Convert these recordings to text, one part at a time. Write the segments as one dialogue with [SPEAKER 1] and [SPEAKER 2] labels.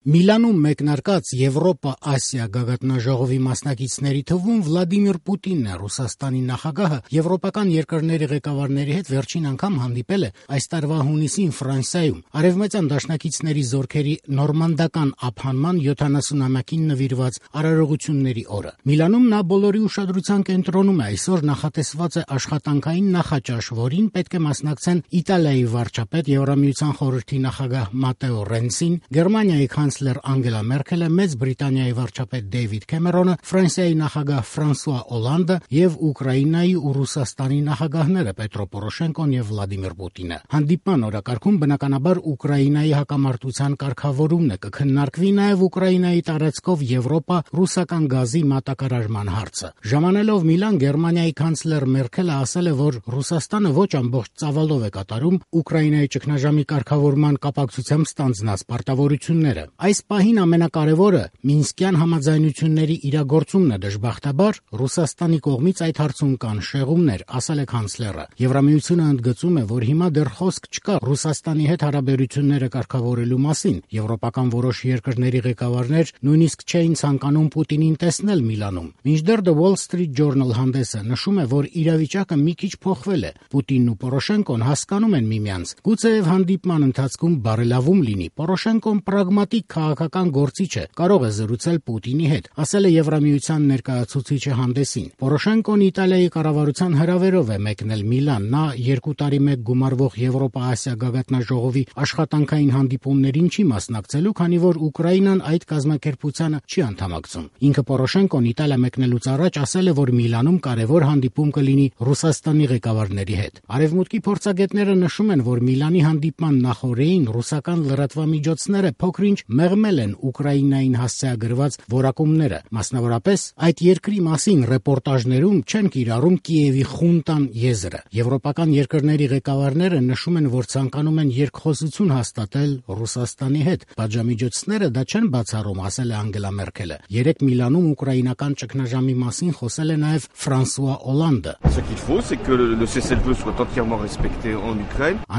[SPEAKER 1] Միլանում մեկնարկած Եվրոպա-Ասիա գագաթնաժողովի մասնակիցների թվում Վլադիմիր Պուտինն է։ Ռուսաստանի նախագահը եվրոպական երկրների ղեկավարների հետ վերջին անգամ հանդիպել է այս տարվա հունիսին Ֆրանսիայում, արևմտյան դաշնակիցների զորքերի նորմանդական ափանման 70-ամյակին նվիրված արարողությունների օրը։ Միլանում նա բոլորի ուշադրության կենտրոնում է։ Այսօր նախատեսված է աշխատանքային նախաճաշ, որին պետք է մասնակցեն Իտալիայի վարչապետ, Եվրամիության խորհրդի նախագահ Մատեո Ռենցին, Գերմանիայի կանցլեր Անգելա Մերքելը, Մեծ Բրիտանիայի վարչապետ Դեյվիդ Քեմերոնը, Ֆրանսիայի նախագահ Ֆրանսուଆ Օլանդը եւ Ուկրաինայի ու Ռուսաստանի նախագահները Պետրո Պորոշենկոն եւ Վլադիմիր Պուտինը։ Հանդիպման օրակարգում բնականաբար Ուկրաինայի հակամարտության կարգավորումն է, կքննարկվի նաեւ Ուկրաինայի տարածքով Եվրոպա-ռուսական գազի մատակարարման հարցը։ Ժամանելով Միլան, Գերմանիայի կանցլեր Մերքելը ասել է, որ Ռուսաստանը ոչ ամբողջ ծավալով է կատարում Ուկրաինայի ճգնաժամի կարգավորման կապակցությամբ ստանձնած պարտավորությունները։ Այս պահին ամենակարևորը Մինսկյան համաձայնությունների իրագործումն է, դժբախտաբար Ռուսաստանի կողմից այդ հարցում կան շեղումներ, ասել է կանցլերը։ Եվրամիությունը ընդգծում է, որ հիմա դեռ խոսք չկա Ռուսաստանի հետ հարաբերությունները կարգավորելու մասին։ Եվրոպական որոշ երկրների ղեկավարներ նույնիսկ չէին ցանկանում Պուտինին տեսնել Միլանում։ Մինչդեռ The Wall Street Journal հանդեսը նշում է, որ իրավիճակը մի քիչ փոխվել է։ Պուտինն ու Պորոշենկոն հասկանում են միմյանց։ Գուցեև հանդիպման ընթացքում բարելավում լինի։ Պորոշենկոն պրագմատիկ քաղաքական գործիչ է, կարող է զրուցել Պուտինի հետ, ասել է Եվրամիության ներկայացուցիչը հանդեսին։ Պորոշենկոն Իտալիայի կառավարության հրավերով է մեկնել Միլան։ Նա 2 տարի մեկ գումարվող Եվրոպա-Ասիա գագաթնաժողովի աշխատանքային հանդիպումներին չի մասնակցելու, քանի որ Ուկրաինան այդ կազմակերպությանը չի անդամակցում։ Ինքը Պորոշենկոն Իտալիա մեկնելուց առաջ ասել է, որ Միլանում կարևոր հանդիպում կլինի Ռուսաստանի ղեկավարների հետ։ Արևմուտքի փորձագետները նշում են, որ Միլանի հանդիպման նախօրեին ռուսական լրատվամիջոցները փոքրինչ մեղմել են Ուկրաինային հասցեագրված որակումները։ Մասնավորապես այդ երկրի մասին ռեպորտաժներում չեն կիրառում Կիևի խունտան եզրը։ Եվրոպական երկրների ղեկավարները նշում են, որ ցանկանում են երկխոսություն հաստատել Ռուսաստանի հետ։ Պատժամիջոցները դա չեն բացառում, ասել է Անգելա Մերքելը։ Երեկ Միլանում ուկրաինական ճգնաժամի մասին խոսել է նաև Ֆրանսուଆ Օլանդը։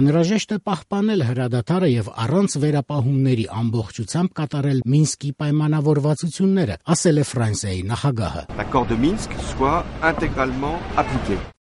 [SPEAKER 1] Անհրաժեշտ է պահպանել հրադադարը եւ առանց վերապահումների ամբողջությամբ կատարել Մինսկի պայմանավորվածությունները, ասել է Ֆրանսիայի նախագահը։